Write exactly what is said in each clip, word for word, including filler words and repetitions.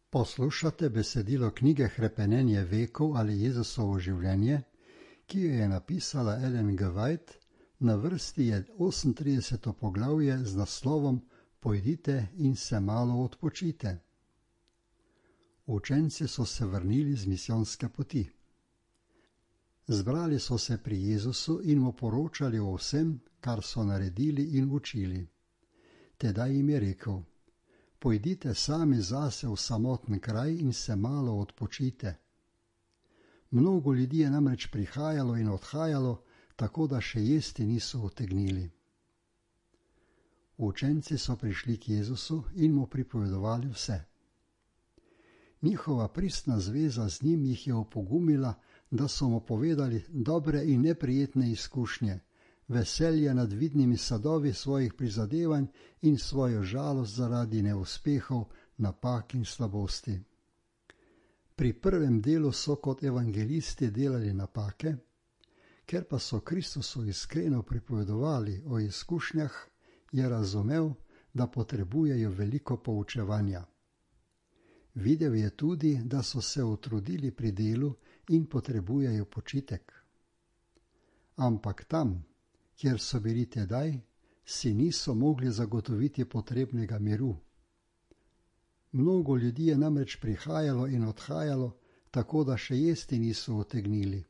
Poslušate besedilo knjige Hrepenenje vekov ali Jezusovo življenje, ki jo je napisala Ellen G. White, na vrsti je osemintrideseto poglavje z naslovom Pojdite in se malo odpočite. Učenci so se vrnili z misijonske poti. Zbrali so se pri Jezusu in mu poročali o vsem, kar so naredili in učili. Tedaj jim je rekel: Pojdite sami zase v samoten kraj in se malo odpočite. Mnogo ljudi je namreč prihajalo in odhajalo, tako da še jesti niso utegnili. Učenci so prišli k Jezusu in mu pripovedovali vse. Njihova pristna zveza z njim jih je opogumila, da so mu povedali dobre in neprijetne izkušnje, veselje nad vidnimi sadovi svojih prizadevanj in svojo žalost zaradi neuspehov, napak in slabosti. Pri prvem delu so kot evangelisti delali napake, ker pa so Kristusu iskreno pripovedovali o izkušnjah, je razumel, da potrebujejo veliko poučevanja. Videl je tudi, da so se utrudili pri delu in potrebujejo počitek. Ampak tam, kjer so bili tedaj, si niso mogli zagotoviti potrebnega miru. Mnogo ljudi je namreč prihajalo in odhajalo, tako da še jesti niso utegnili.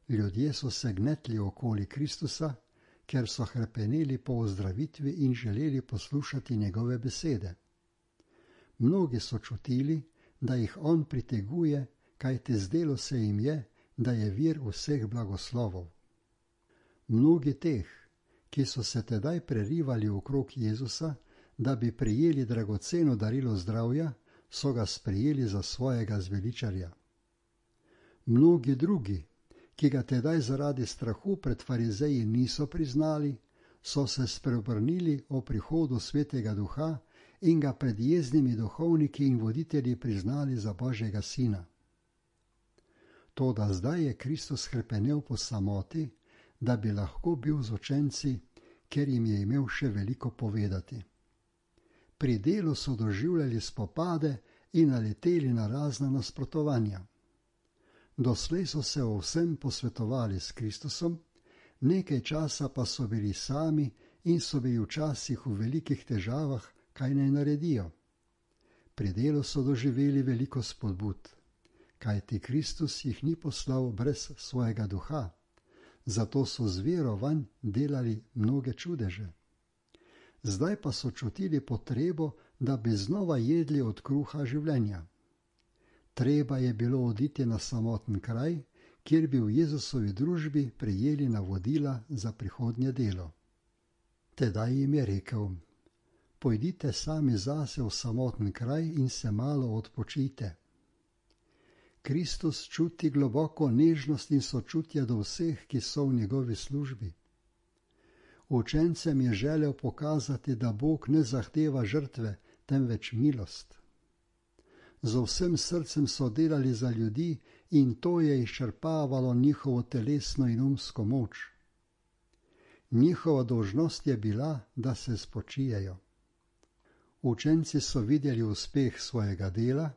Ljudje so se gnetli okoli Kristusa, ker so hrepeneli po ozdravitvi in želeli poslušati njegove besede. Mnogi so čutili, da jih on priteguje, kajti zdelo se jim je, da je vir vseh blagoslovov. Mnogi teh, ki so se tedaj prerivali okrog Jezusa, da bi prejeli dragoceno darilo zdravja, so ga sprejeli za svojega zveličarja. Mnogi drugi, ki ga tedaj zaradi strahu pred farizeji niso priznali, so se spreobrnili o prihodu Svetega Duha in ga pred jeznimi duhovniki in voditelji priznali za Božjega sina. Toda zdaj je Kristus hrepenel po samoti, da bi lahko bil z učenci, ker jim je imel še veliko povedati. Pri delu so doživljali spopade in naleteli na razna nasprotovanja. Doslej so se o vsem posvetovali s Kristusom, nekaj časa pa so bili sami in so bili včasih v velikih težavah, kaj naj naredijo. Pri delu so doživeli veliko spodbud, kajti Kristus jih ni poslal brez svojega duha, zato so z vero vanj delali mnoge čudeže. Zdaj pa so čutili potrebo, da bi znova jedli od kruha življenja. Treba je bilo oditi na samoten kraj, kjer bi v Jezusovi družbi prejeli navodila za prihodnje delo. Tedaj jim je rekel: Pojdite sami zase v samoten kraj in se malo odpočite. Kristus čuti globoko nežnost in sočutje do vseh, ki so v njegovi službi. Učencem je želel pokazati, da Bog ne zahteva žrtve, temveč milost. Z vsem srcem so delali za ljudi in to je izčrpavalo njihovo telesno in umsko moč. Njihova dolžnost je bila, da se spočijejo. Učenci so videli uspeh svojega dela,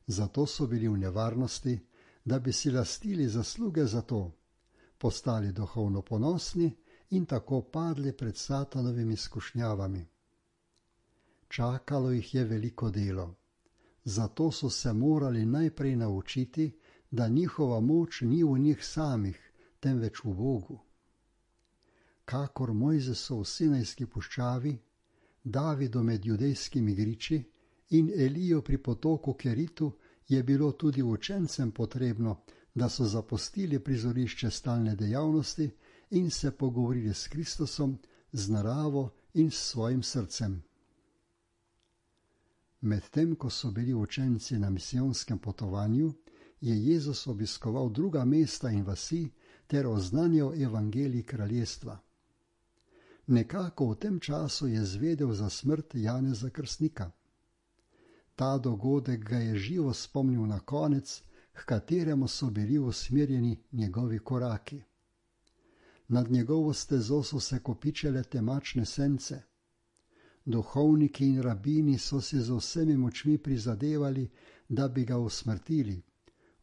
zato so bili v nevarnosti, da bi si lastili zasluge za to, postali duhovno ponosni in tako padli pred satanovimi skušnjavami. Čakalo jih je veliko delo, zato so se morali najprej naučiti, da njihova moč ni v njih samih, temveč v Bogu. Kakor Mojzesov v Sinajski puščavi, Davidu med judejskimi griči in Eliju pri potoku Keritu, je bilo tudi učencem potrebno, da so zapustili prizorišče stalne dejavnosti in se pogovorili s Kristusom, z naravo in s svojim srcem. Medtem ko so bili učenci na misijonskem potovanju, je Jezus obiskoval druga mesta in vasi ter oznanjal evangelij kraljestva. Nekako v tem času je zvedel za smrt Janeza Krstnika. Ta dogodek ga je živo spomnil na konec, h kateremu so bili usmerjeni njegovi koraki. Nad njegovo stezo so se kopičile temačne sence. Duhovniki in rabini so si z vsemi močmi prizadevali, da bi ga usmrtili.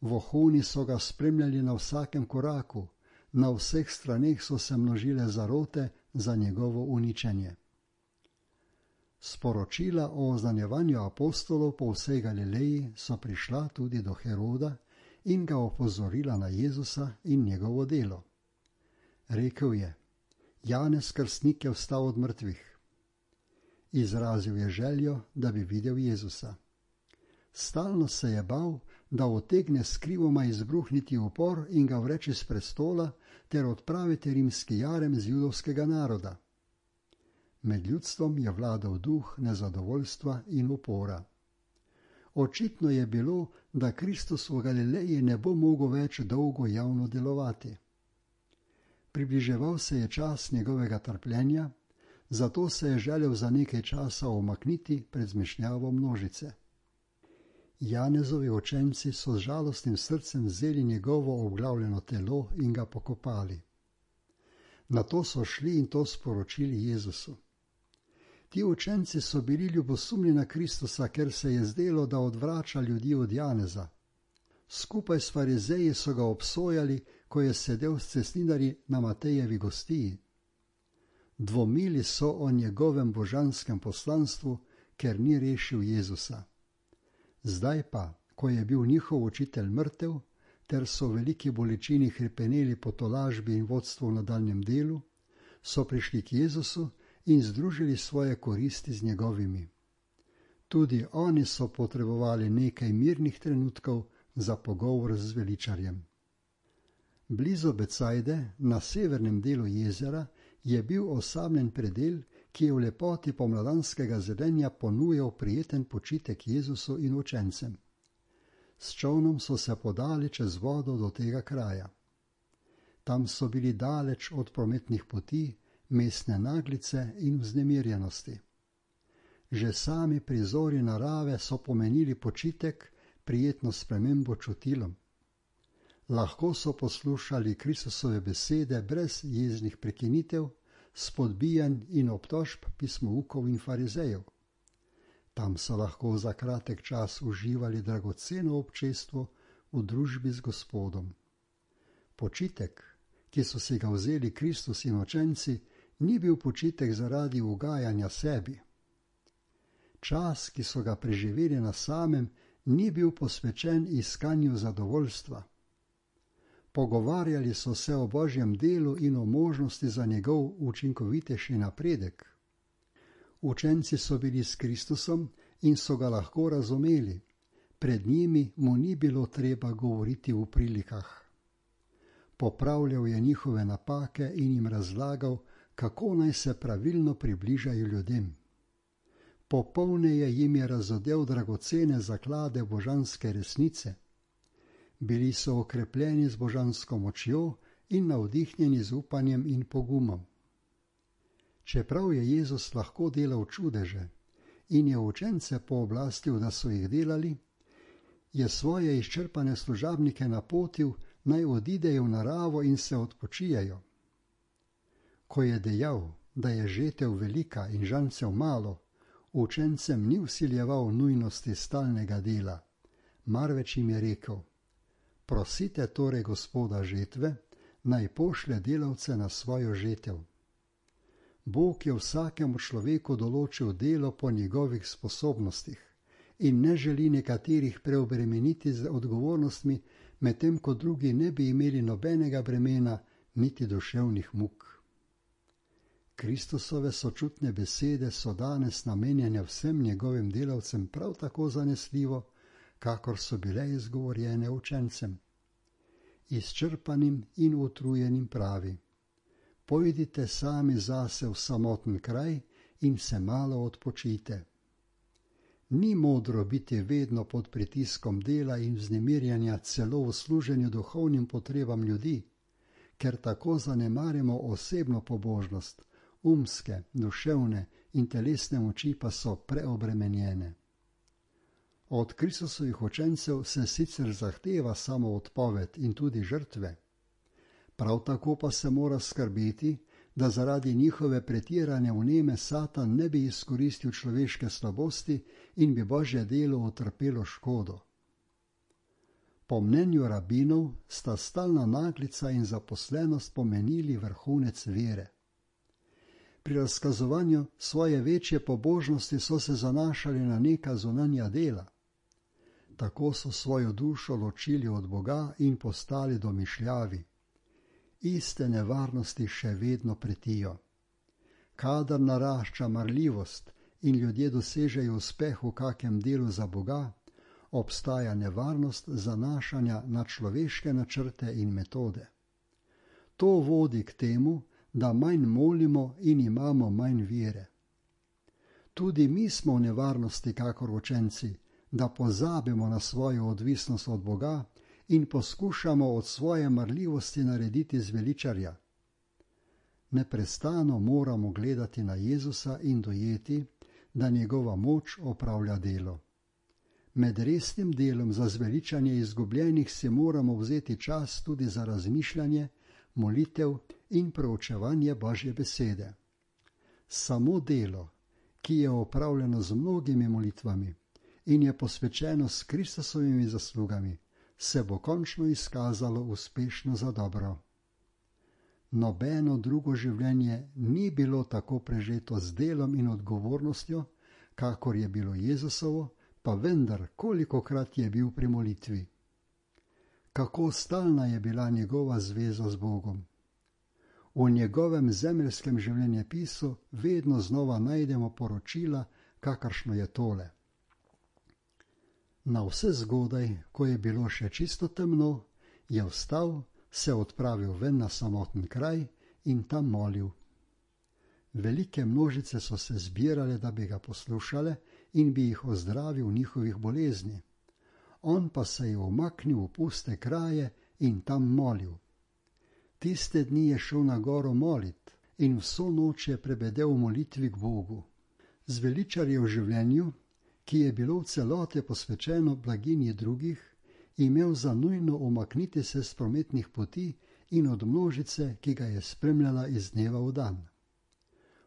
Vohuni so ga spremljali na vsakem koraku, na vseh straneh so se množile zarote za njegovo uničenje. Sporočila o oznanjevanju apostolov po vsej Galileji so prišla tudi do Heroda in ga opozorila na Jezusa in njegovo delo. Rekel je: Janez Krstnik je vstal od mrtvih. Izrazil je željo, da bi videl Jezusa. Stalno se je bal, da utegne skrivoma izbruhniti upor in ga vreči s prestola ter odpraviti rimski jarem z judovskega naroda. Med ljudstvom je vladal duh nezadovoljstva in upora. Očitno je bilo, da Kristus v Galileji ne bo mogel več dolgo javno delovati. Približeval se je čas njegovega trpljenja, zato se je želel za nekaj časa omakniti pred zmešnjavo množice. Janezovi učenci so z žalostnim srcem vzeli njegovo obglavljeno telo in ga pokopali. Nato so šli in to sporočili Jezusu. Ti učenci so bili ljubosumni na Kristusa, ker se je zdelo, da odvrača ljudi od Janeza. Skupaj s farizeji so ga obsojali, ko je sedel s cestninarji na Matejevi gostiji. Dvomili so o njegovem božanskem poslanstvu, ker ni rešil Jezusa. Zdaj pa, ko je bil njihov učitelj mrtev, ter so v veliki bolečini hrepeneli po tolažbi in vodstvu v nadaljnjem delu, so prišli k Jezusu in združili svoje koristi z njegovimi. Tudi oni so potrebovali nekaj mirnih trenutkov za pogovor z zveličarjem. Blizu Becajde, na severnem delu jezera, je bil osamljen predel, ki je v lepoti pomladanskega zelenja ponujal prijeten počitek Jezusu in učencem. S čolnom so se podali čez vodo do tega kraja. Tam so bili daleč od prometnih poti, mestne naglice in vznemirjenosti. Že sami prizori narave so pomenili počitek, prijetno spremembo čutilom. Lahko so poslušali Kristusove besede brez jeznih prekinitev, spodbijanj in obtožb pismoukov in farizejev. Tam so lahko za kratek čas uživali dragoceno občestvo v družbi z Gospodom. Počitek, ki so si ga vzeli Kristus in učenci, ni bil počitek zaradi ugajanja sebi. Čas, ki so ga preživeli na samem, ni bil posvečen iskanju zadovoljstva. Pogovarjali so se o Božjem delu in o možnosti za njegov učinkovitejši napredek. Učenci so bili s Kristusom in so ga lahko razumeli. Pred njimi mu ni bilo treba govoriti v prilikah. Popravljal je njihove napake in jim razlagal, kako naj se pravilno približajo ljudem. Popolneje jim je razodel dragocene zaklade božanske resnice. Bili so okrepljeni z božansko močjo in navdihnjeni z upanjem in pogumom. Čeprav je Jezus lahko delal čudeže in je učence pooblastil, da so jih delali, je svoje izčrpane služabnike napotil, naj odidejo v naravo in se odpočijajo. Ko je dejal, da je žetev velika in žancev malo, učencem ni vsiljeval nujnosti stalnega dela, marveč jim je rekel: prosite torej Gospoda žetve, naj pošlje delavce na svojo žetev. Bog je vsakemu človeku določil delo po njegovih sposobnostih in ne želi nekaterih preobremeniti z odgovornostmi, medtem ko drugi ne bi imeli nobenega bremena niti duševnih muk. Kristusove sočutne besede so danes namenjene vsem njegovim delavcem prav tako zanesljivo, kakor so bile izgovorjene učencem. Izčrpanim in utrujenim pravi: pojdite sami zase v samoten kraj in se malo odpočijte. Ni modro biti vedno pod pritiskom dela in vznemirjanja celo v služenju duhovnim potrebam ljudi, ker tako zanemarjamo osebno pobožnost, umske, duševne in telesne moči pa so preobremenjene. Od Kristusovih učencev se sicer zahteva samo odpoved in tudi žrtve. Prav tako pa se mora skrbeti, da zaradi njihove pretirane vneme Satan ne bi izkoristil človeške slabosti in bi Božje delo utrpelo škodo. Po mnenju rabinov sta stalna naglica in zaposlenost pomenili vrhunec vere. Pri razkazovanju svoje večje pobožnosti so se zanašali na neka zunanja dela. Tako so svojo dušo ločili od Boga in postali domišljavi. Iste nevarnosti še vedno pretijo. Kadar narašča marljivost in ljudje dosežejo uspeh v kakem delu za Boga, obstaja nevarnost zanašanja na človeške načrte in metode. To vodi k temu, da manj molimo in imamo manj vere. Tudi mi smo v nevarnosti kakor učenci, da pozabimo na svojo odvisnost od Boga in poskušamo od svoje marljivosti narediti zveličarja. Neprestano moramo gledati na Jezusa in dojeti, da njegova moč opravlja delo. Med resnim delom za zveličanje izgubljenih si moramo vzeti čas tudi za razmišljanje, molitev in proučevanje Božje besede. Samo delo, ki je opravljeno z mnogimi molitvami in je posvečeno s Kristusovimi zaslugami, se bo končno izkazalo uspešno za dobro. Nobeno drugo življenje ni bilo tako prežeto z delom in odgovornostjo, kakor je bilo Jezusovo, pa vendar kolikokrat je bil pri molitvi. Kako stalna je bila njegova zveza z Bogom. V njegovem zemeljskem življenjepisu vedno znova najdemo poročila, kakršno je tole. Na vse zgodaj, ko je bilo še čisto temno, je vstal, se odpravil ven na samoten kraj in tam molil. Velike množice so se zbirale, da bi ga poslušale in bi jih ozdravil njihovih bolezni. On pa se je umaknil v puste kraje in tam molil. Tiste dni je šel na goro molit in vso noč je prebedel v molitvi k Bogu. Zveličar je v življenju, ki je bilo v celoti posvečeno blaginji drugih, imel za nujno umakniti se s prometnih poti in od množice, ki ga je spremljala iz dneva v dan.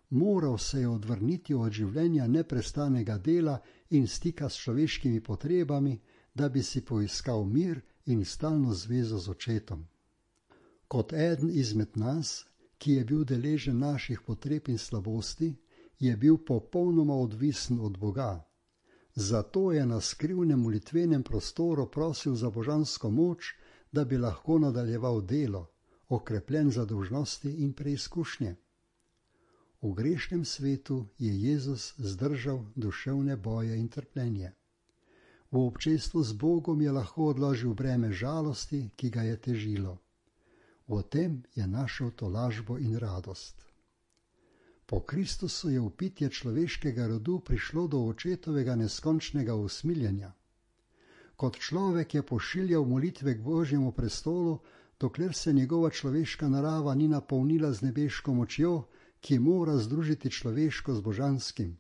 Moral se je odvrniti od življenja neprestanega dela in stika s človeškimi potrebami, da bi si poiskal mir in stalno zvezo z očetom. Kot eden izmed nas, ki je bil deležen naših potreb in slabosti, je bil popolnoma odvisen od Boga. Zato je na skrivnem molitvenem prostoru prosil za božansko moč, da bi lahko nadaljeval delo, okrepljen za dolžnosti in preizkušnje. V grešnem svetu je Jezus zdržal duševne boje in trpljenje. V občestvu z Bogom je lahko odložil breme žalosti, ki ga je težilo. V tem je našel tolažbo in radost. Po Kristusu je vpitje človeškega rodu prišlo do očetovega neskončnega usmiljenja. Kot človek je pošiljal molitve k Božjemu prestolu, dokler se njegova človeška narava ni napolnila z nebeško močjo, ki mora združiti človeško z božanskim.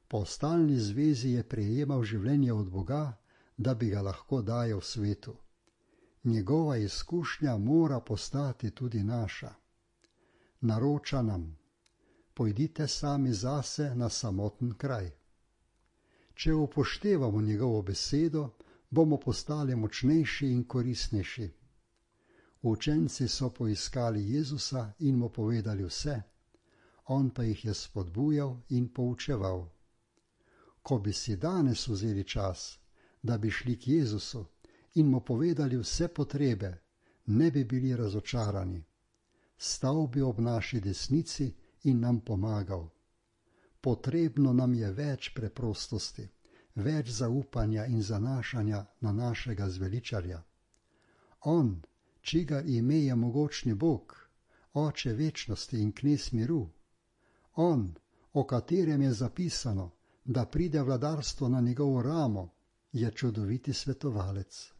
Po stalni zvezi je prejemal življenje od Boga, da bi ga lahko dajal svetu. Njegova izkušnja mora postati tudi naša. Naroča nam: pojdite sami zase na samoten kraj. Če upoštevamo njegovo besedo, bomo postali močnejši in koristnejši. Učenci so poiskali Jezusa in mu povedali vse, on pa jih je spodbujal in poučeval. Ko bi si danes vzeli čas, da bi šli k Jezusu in mu povedali vse potrebe, ne bi bili razočarani. Stal bi ob naši desnici in nam pomagal. Potrebno nam je več preprostosti, več zaupanja in zanašanja na našega zveličarja. On, čigar ime je mogočni Bog, Oče večnosti in knez miru. On, o katerem je zapisano, da pride vladarstvo na njegovo ramo, je čudoviti svetovalec.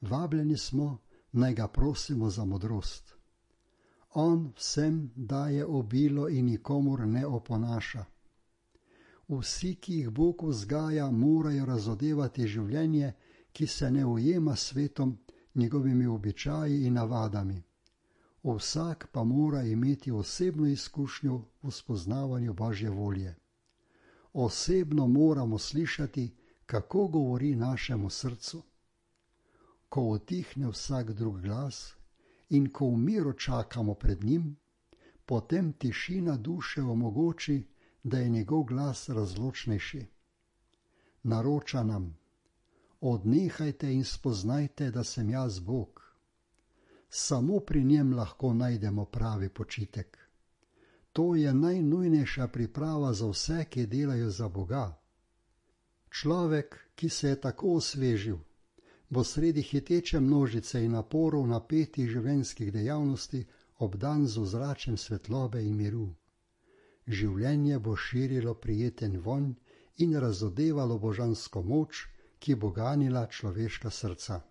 Vabljeni smo, naj ga prosimo za modrost. On vsem daje obilo in nikomur ne oponaša. Vsi, ki jih Bog vzgaja, morajo razodevati življenje, ki se ne ujema s svetom, njegovimi običaji in navadami. Vsak pa mora imeti osebno izkušnjo v spoznavanju Božje volje. Osebno moramo slišati, kako govori našemu srcu. Ko utihne vsak drug glas in ko v miru čakamo pred njim, potem tišina duše omogoči, da je njegov glas razločnejši. Naroča nam: odnehajte in spoznajte, da sem jaz Bog. Samo pri njem lahko najdemo pravi počitek. To je najnujnejša priprava za vse, ki delajo za Boga. Človek, ki se je tako osvežil, bo sredi hiteče množice in naporov napetih življenjskih dejavnosti obdan z ozračjem svetlobe in miru. Življenje bo širilo prijeten vonj in razodevalo božansko moč, ki bo ganila človeška srca.